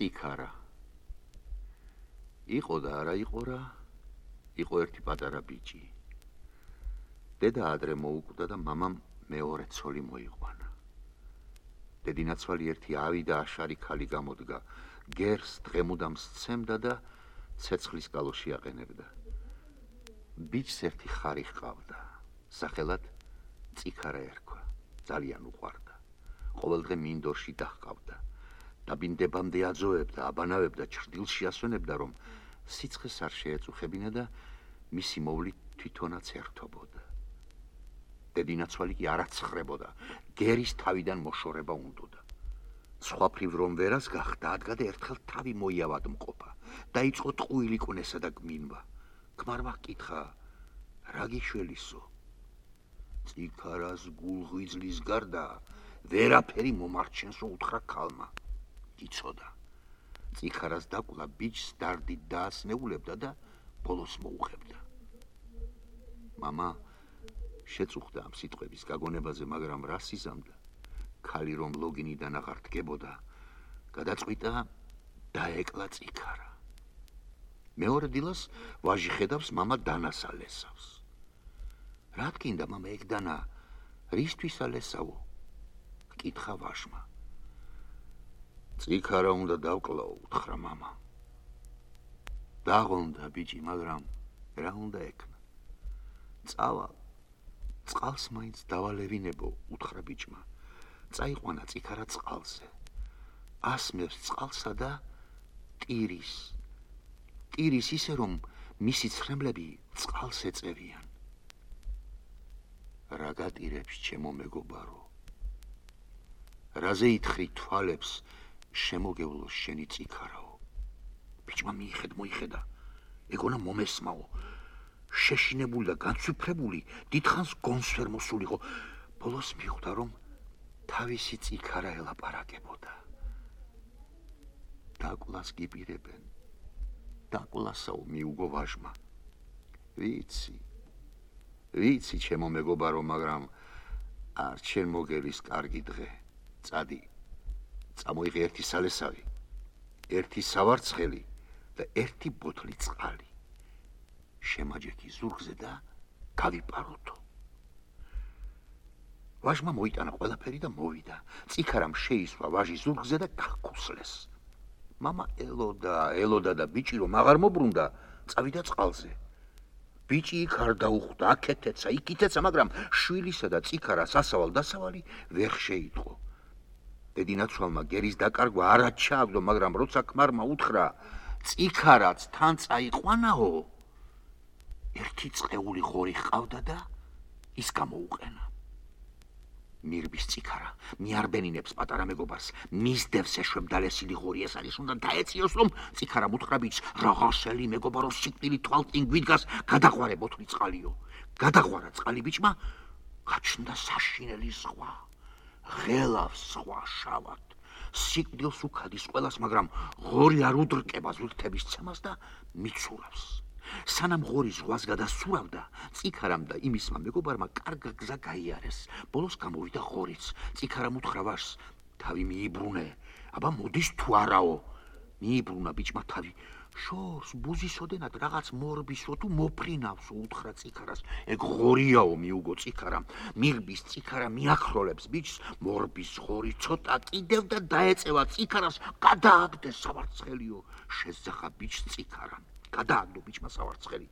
წიქარა. იყო და არა იყო რა, იყო ერთი პატარა ბიჭი. დედა ადრე მოუკვდა და მამამ მეორე ცოლი მოიყვანა. დედინაცვალი ერთი ავი და აშარი ქალი გამოდგა, გერს დღემუდამ სცემდა და ცეცხლის კალოში აყენებდა. ბიჭს ერთი ხარი ჰყავდა, სახელად წიქარა ერქვა, ძალიან უყვარდა. ყოველდღე მინდორში დაჰყავდა. დაბინდებამდე აძოებდა, აბანავებდა, ჩრდილში ასვენებდა, რომ სიცხეს არ შეეწუხებინა და მისი მოვლით თვითონაც ერთობოდა. დედინაცვალი კი არ აცხრებოდა, გერის თავიდან მოშორება უნდოდა. სხვაფრივ რომ ვერას გახდა, ადგადა ერთხელ თავი მოიავადმყოფა, დაიწყო ტყუილი კვნესა და გმინვა. ქმარმა ჰკითხა, რა გიშველისო? წიქარას გულღვიძლის გარდა ვერაფერი მომარჩენსო, უთხრა ქალმა. იცოდა. წიქარას დაკლა ბიჭს დარდით დაასნეულებდა და ბოლოს მოუხებდა. მამა შეწუხდა ამ სიტყვების გაგონებაზე, მაგრამ რას იზამდა? ქალი რომ ლოგინიდან აღარ დგებოდა, გადაწყვიტა დაეკლა წიქარა. მეორე დილას ვაჟი ხედავს, მამა დანას ალესავს. რა თქინდა მამა ეგ დანა, რისთვის ალესავო? ჰკითხა ვაჟმა. წიქარა უნდა დავკლაო, უთხრა მამა. დაღონდა ბიჭი, მაგრამ რა უნდა ექნა? წავალ, წყალს მაინც დავალევინებო, უთხრა ბიჭმა. წაიყვანა წიქარა წყალზე. ასმევს წყალსა და ტირის. ტირის ისე, რომ მისი ცრემლები წყალს ეწევიან. რა გატირებს, ჩემო მეგობარო? რაზე ითხრი თვალებს, შემოგევლოს შენი წიქარაო? ბიჭმა მოიხედა, ეგონა მომესმაო. შეშინებული და განცვიფრებული, დიდხანს გონს ვერ მოსულიყო. ბოლოს მიხვდა, რომ თავისი წიქარა ელაპარაკებოდა. დაკვლას გიპირებენ. დაკვლასაო, მიუგო ვაჟმა. ვიცი, ჩემო მეგობარო, მაგრამ არ ჩემ მოგელის კარგი დღე. წადი, წამოიღე ერთი სალესავი, ერთი სავარცხელი და ერთი ბოთლი წყალი. შემაჯექი ზურგზე და გავიპაროთო. ვაჟმა მოიტანა ყველაფერი და მოვიდა. წიქარამ შეისვა ვაჟი ზურგზე და გახკუსლეს. მამა ელოდა და ბიჭი რომ აღარ მობრუნდა, წავიდა წყალზე. ბიჭი იქ არ დაუხვდა, აქეთეცა, იქითეცა, მაგრამ შვილისა და წიქარას ასავალ-დასავალი ვერ შეიტყო. დედინაცვალმა გერის დაკარგვა არად ჩააგდო, მაგრამ როცა ქმარმა უთხრა, წიქარაც თან წაიყვანაო, ერთი წყეული ღორი ჰყავდა და ის გამოუყენა. მირბის წიქარა მიარბენინებს პატარა მეგობარს, მისდევს ეშვებდა ლესილი ღორი, ეს არის უნდა დაეციოს, რომ წიქარამ უთხრა ბიჭს, რაღაცელი მეგობარო სიკვდილი თვალწინ გვიდგას, გადაღვარე ბოთლი წყალიო. გადაღვარა წყალი ბიჭმა, გაჩნდა საშინელი ზღვა, ღელავს ზღვა შავად. სიკვდილს უქადის ყველას, მაგრამ ღორი არ უდრკება ზვირთების ცემას და მიცურავს. სანამ ღორი ზღვას გადასურავდა, წიქარამ და იმისმა მეგობარმა კარგა გზა გაიარეს. ბოლოს გამოვიდა ღორიც. წიქარამ უთხრა ვაჟს, თავი მიიბრუნე, აბა მოდის თუ არაო. მიიბრუნა ბიჭმა თავი. შორს ბუზისოდენად რაღაც მორბისო თუ მოფრინავსო, უთხრა წიქარას. ეგ ღორიაო, მიუგო წიქარამ. მირბის წიქარა მიაქროლებს ბიჭს, მორბის ღორი ცოტა კიდევ და დაეწევა წიქარას, გადააგდეს სავარცხელიო. შეძახა ბიჭს წიქარამ. გადააგდო ბიჭმა სავარცხელი.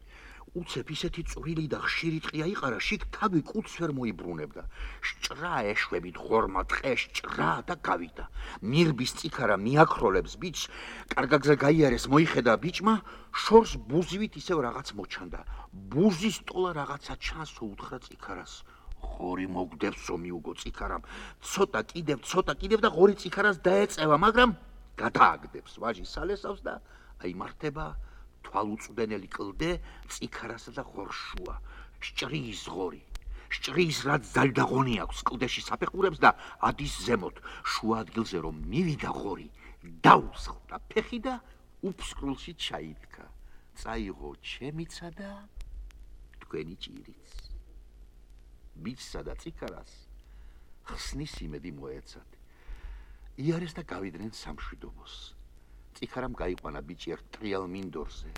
უცებ ისეთი წვრილი და ხშირი ტყია იყარა, შიგ თავი კუც ვერ მოიბრუნებდა. სჭრა ეშვებით ღორმა ტყეს, სჭრა და გავიდა. მირბის წიქარა მიაქროლებს ბიჭს, კარგა გზა გაიარეს, მოიხედა ბიჭმა, შორს ბუზივით ისევ რაღაც მოჩანდა. ბუზის ტოლა რაღაცა ჩანსო, უთხრა წიქარას. ღორი მოგდევსო, მიუგო წიქარამ. ცოტა კიდევ და ღორი წიქარას დაეწევა, მაგრამ გადააგდებს ვაჟი სალესავს და აიმართება თვალუწვდენელი კლდე წიქარასა და ღორშუა. სჭრის ღორი. სჭრის რაც ძალდაღონი აქვს, კლდეში საფეხურებს და ადის ზემოთ. შუა ადგილზე რომ მივიდა ღორი, დაუსხლდა ფეხი და უფსკრულში ჩაიდგა. წაიღო ჩემიცა და თქვენი ჭირიც. ბიჭსა და წიქარას ხსნის იმედი მოეცათ. იარეს და გავიდნენ სამშვიდობოს. წიქარამ გაიყვანა ბიჭი ერთ ტრიალ მინდორზე.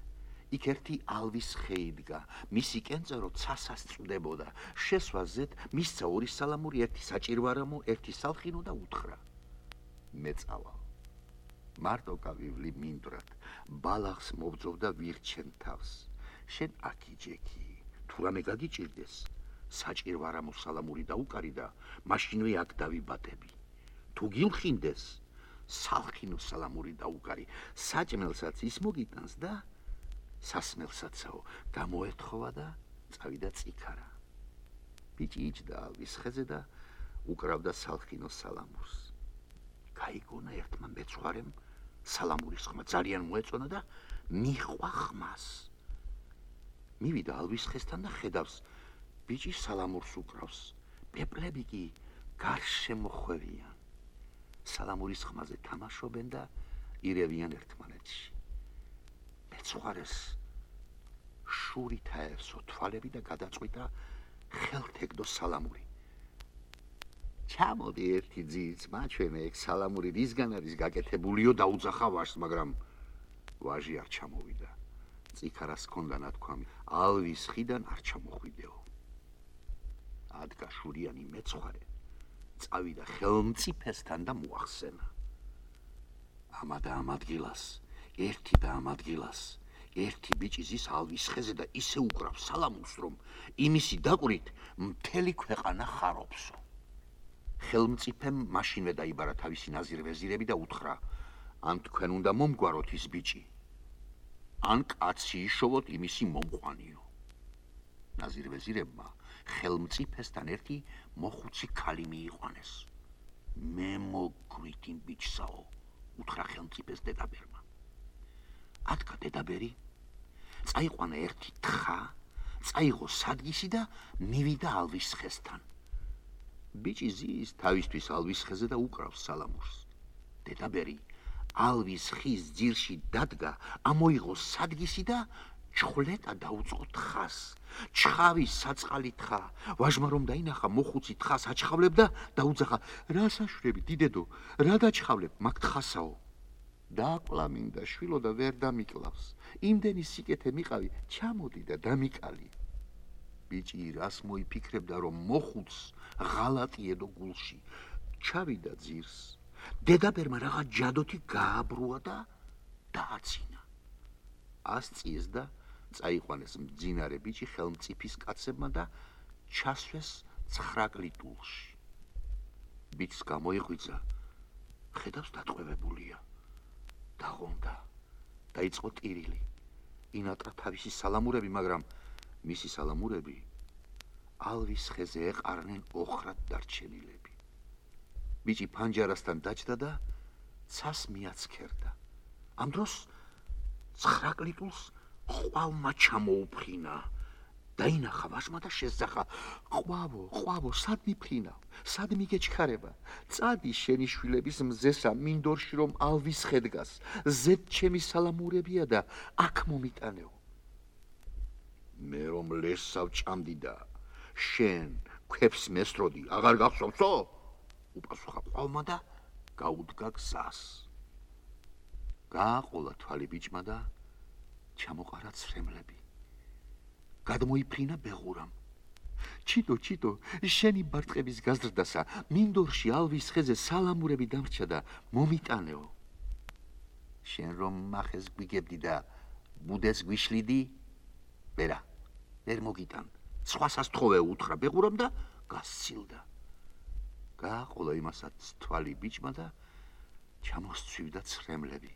იქ ერთი ალვის ხე იდგა, მისი კენწერო ცასას წვდებოდა. შესვაზეთ მისცა ორი სალამური, ერთი საჭირვარამო, ერთი სალხინო და უთხრა: მე წავალ. მარტო გავივლი მინდვრად, ბალახს მობძოვ და ვირჩენ თავს. შენ აკიჯექი, თუ რამე გაგიჭირდეს, საჭირვარამო სალამური დაუკარი და მაშინვე აქ დავიბატები. თუ გილხინდეს, სალხინო სალამური დაუკარი, საჭმელსაც ის მოგიტანს და სასმელსაცაო გამოეთხოვა და წავიდა წიქარა. ბიჭი იჯდა ალვის ხეზე და უკრავდა სალხინო სალამურს. გაიგონა ერთმა მეცხვარემ სალამურის ხმა ძალიან მოეწონა და მიჰყვა ხმას. მივიდა ალვის ხესთან და ხედავს, ბიჭი სალამურს უკრავს, პეპლები კი გარშე მოხვევიან. სალამურის ხმაზე თამაშობენ და ირევიან ერთმანეთში. მეცხვარეს შურით აევსო თვალები და გადაწყვიტა ხელთეგდო სალამური. ჩამოდი ერთი ძიც, მაჩვენე ეგ სალამური რისგან არის გაკეთებულიო, დაუძახა ვაჟს, მაგრამ ვაჟი არ ჩამოვიდა. წიქარას ჰქონდა ნათქვამი, ალვის ხიდან არ ჩამოხვიდეო. ადგა შურიანი მეცხვარე, წავიდა ხელმწიფესთან და მოახსენა. ამა და ამ ადგილას, ერთი და ამ ადგილას, ერთი ბიჭი ზის ალვის ხეზე და ისე უკრავს სალამურს, რომ იმისი დაკვირით მთელი ქვეყანა ხარობსო. ხელმწიფემ მაშინვე დაიბარა თავისი ნაზირ-ვეზირები და უთხრა: ან თქვენ უნდა მომგვაროთ ის ბიჭი, ან კაცი იშოვოთ იმისი მომყვანიო. ნაზირ-ვეზირებმა ხელმწიფესთან ერთი მოხუცი ქალი მიიყვანეს. მე მოგვით იმ ბიჭსაო, უთხრა ხელმწიფეს დედაბერმა. ადგა დედაბერი, წაიყვანა ერთი თხა, წაიღო სადგისი და მივიდა ალვის ხესთან. ბიჭი ზის თავისთვის ალვის ხეზე და უკრავს სალამურს. დედაბერი ალვის ხის ძირში დადგა, ამოიღო სადგისი და ჩხვლეტა დაუწყო თხას. ჩხავი საწყალი თხა. ვაჟმა რომ დაინახა, მოხუცი თხას აჩხავლებდა, დაუძახა: რა საშვრები, დიდედო, რა დაჩხავლებ, მაგ თხასაო. დააკლა მინდა შვილო და ვერ დამიკლავს. იმდენი სიკეთე მიყავი, ჩამოდი და დამიკალი. ბიჭი რას მოიფიქრებდა, რომ მოხუც ღალატი ედო გულში. ჩავიდა ძირს. დედაბერმა რაღაც ჯადოთი გააბრუა და დააცინა. ასწიეს და წაიყვანეს მძინარე ბიჭი ხელმწიფის კაცებმა და ჩასვეს 9 ლიტულში. ბიჭს გამოიღვიძა, ხედავს დატყვევებულია. დაღონდა, დაიწყო ტირილი. ინატრა თავისი სალამურები, მაგრამ მისი სალამურები ალვის ხეზე ეყარნენ ოხრად დარჩენილები. ბიჭი ფანჯარასთან დაჯდა და ცას მიაცქერდა. ამ დროს 9 ლიტულს ყვავმა ჩამოუფრინა. დაინახა ვაჟმა და შესძახა: ყვავო, სად მიფრინავ? სად მიგეჩქარება? წადი შენი შვილების მზესა მინდორში, რომ ალვის ხე დგას. ზედ ჩემი სალამურებია და აქ მომიტანეო. მე რომ ლესავ ჭამდი და შენ ქვებს მესროდი, აღარ გახსოვსო? უპასუხა ყვავმა და გაუდგა გზას. გააყოლა თვალი ბიჭმა და ჩამოყარა ცრემლები. გადმოიფრინა ბეღურამ. ჩიტო, შენი ბარტყების გაზრდასა, მინდორში ალვის ხეზე სალამურები დამრჩა და მომიტანეო. შენ რომ მახეს გვიგებდი და ბუდეს გვიშლიდი, ვერა, ვერ მოგიტან. სხვასაც თხოვე, უთხრა ბეღურამ და გასცილდა. გააყოლა იმასაც თვალი ბიჭმა და ჩამოსცვივდა ცრემლები.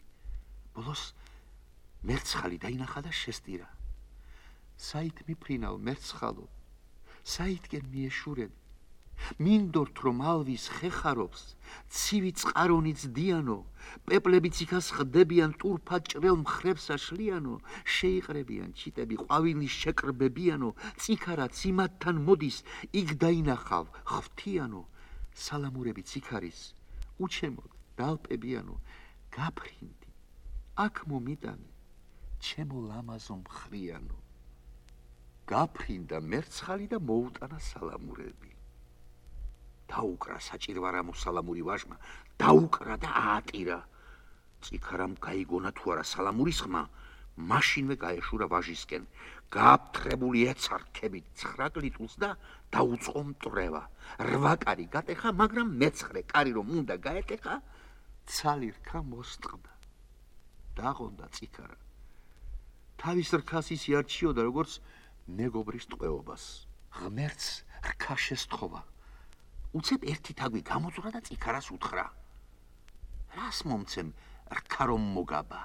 ბოლოს მერცხალი დაინახა და შესტირა. საით მიფრინავ, მერცხალო, საითკენ მიეშურები? მინდორთ რომ ალვის ხე ხარობს, ცივი წყარონი ძდიანო, პეპლებიც იქას ხდებიან, ტურფად ჭრელ მხრებს აშლიანო, შეიყრებიან ჩიტები, ყვავილის შეკრბებიანო, წიქარაც იმათთან მოდის, იქ დაინახავ, ხვთიანო, სალამურები ციქარის, უჩემოდ, დალპებიანო, გაფრინდი, აქ მომიტანე, ჩემო ლამაზო მხრიანო. გაფრინდა მერცხალი და მოუტანა სალამურები. დაუკრა საჭირვარამო სალამური ვაჟმა, დაუკრა და აატირა. წიქარამ გაიგონა თუ არა სალამურის ხმა, მაშინვე გაეშურა ვაჟისკენ, გააფთრებული ეცა რქებით 9 ლიტულს და დაუწყო მტრევა. 8 კარი გატეხა, მაგრამ მე-9 კარი რომ უნდა გაეტეხა, ცალი რქა მოსწყდა. დაღონდა წიქარა. თავის რქას ის იარჩიოდა, როგორც მეგობრის ტყვეობას. ღმერთს რქა შესთხოვა. უცებ ერთი თაგვი გამოძვრა და წიქარას უთხრა: რას მომცემ რქა რომ მოგაბა?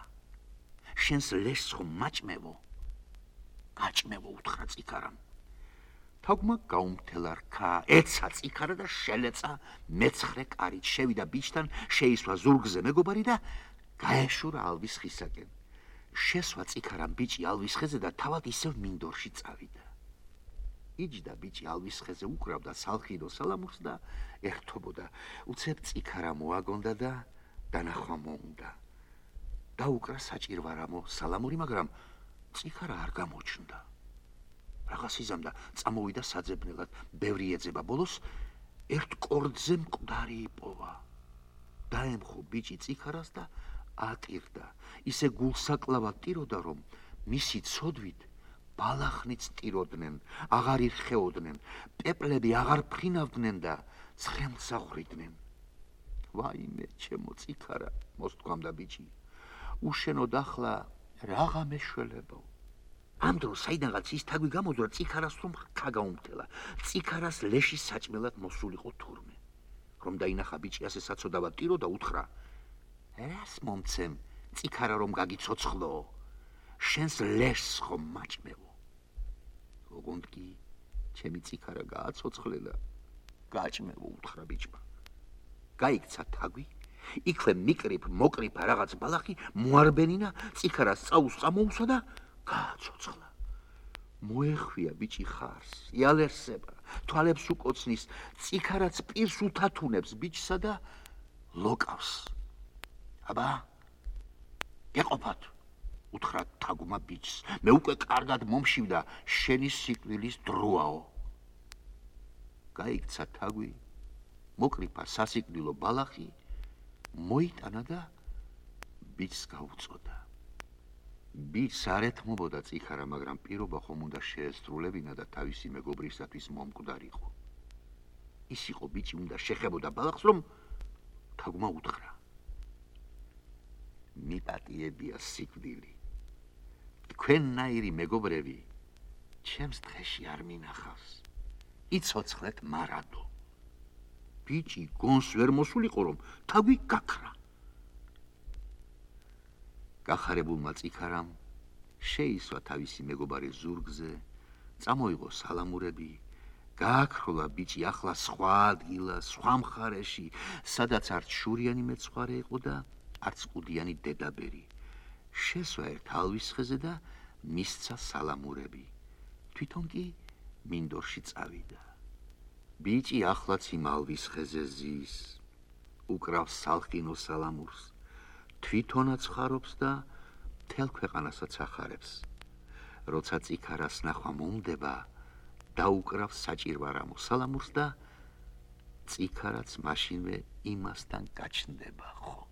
შენს ლეშს ხომ მაჭმევო? გაჭმევო, უთხრა წიქარამ. თაგვმა გაუმთელა რქა, ეცა წიქარა და შელეცა მე-9 კარით, შევიდა ბიჭთან, შეისვა ზურგზე მეგობარი და გაეშურა ალვის ხისაკენ. შესვა წიქარამ ბიჭი ალვის ხეზე და თავად ისევ მინდორში წავიდა. იჯდა ბიჭი ალვის ხეზე, უკრავდა სალხინო სალამურს და ერთობოდა. უცებ წიქარა მოაგონდა და დანახვა მოუნდა. დაუკრა საჭირვარამო სალამური, მაგრამ წიქარა არ გამოჩნდა. რაღაც იზამდა, წამოვიდა საძებნელად, ბევრი ეძება, ბოლოს ერთ კორდზე მკვდარი იპოვა. დაემხო ბიჭი წიქარას და ატირდა. ისე გულსაკლავად ტიროდა, რომ მისი ცოდვით ბალახნიც ტიროდნენ, აღარ ირხეოდნენ, პეპლები აღარ ფრინავდნენ და ცხელსახვრიდნენ. ვაიმე, ჩემო წიქარა, მოსთქვამდა ბიჭი. უშენოდ ახლა რაღა მეშველებო. ამ დროს საიდანღაც ის თაგვი გამოძვრა წიქარას, რომ რქა გაუმთელა. წიქარას ლეშის საჭმელად მოსულიყო თურმე. რომ დაინახა ბიჭი ასე საცოდავად ტიროდა, უთხრა: რას მომცემ წიქარა რომ გაგიცოცხლო? შენს ლეშს ხომ მაჭმევო? ოღონდ კი ჩემი წიქარა გააცოცხლელა, გაჭმევო, უთხრა ბიჭმა. გაიქცა თაგვი, იქვე მიკრიფ მოკრიფა რაღაც ბალახი, მოარბენინა, წიქარას წაუს წამოუსვა და გააცოცხლა. მოეხვია ბიჭი ხარს, იალერსება, თვალებს უკოცნის, წიქარაც პირს უთათუნებს ბიჭსა და ლოკავს. აბა, გეყოფათ, უთხრა თაგვმა ბიჭს, მე უკვე კარგად მომშივდა, შენი სიკვდილის დროაო. გაიქცა თაგვი, მოკრიფა სასიკვდილო ბალახი, მოიტანა და ბიჭს გაუწოდა. ბიჭს არ ეთმობოდა წიქარა, მაგრამ პირობა ხომ უნდა შეესრულებინა და თავისი მეგობრისათვის მომკვდარიყო. ის იყო ბიჭი, უნდა შეხებოდა ბალახს, რომ თაგვმა უთხრა: მიპატიებია სიკვდილი. თქვენნაირი მეგობრები ჩემს დღეში არ მინახავს. იცოცხლეთ მარადო. ბიჭი გონს ვერ მოსულიყო, რომ თაგვი გაქრა. გახარებულმა წიქარამ შეისვა თავისი მეგობარის ზურგზე, წამოიღო სალამურები, გააქროლა ბიჭი ახლა სხვა ადგილას, სხვა მხარეში, სადაც არც შურიანი მეცხვარე იყო და არც ყუდიანი დედაბერი. შესვა ერთ ალვის ხეზე და მისცა სალამურები. თვითონ კი მინდორში წავიდა. ბიჭი ახლაც იმ ალვის ხეზე ზის, უკრავს სალხინო სალამურს, თვითონაც ხარობს და მთელ ქვეყანასაც ახარებს. როცა წიქარას ნახვა მომდება, დაუკრავს საჭირვარამო სალამურს და წიქარაც მაშინვე იმასთან გაჩნდება ხო.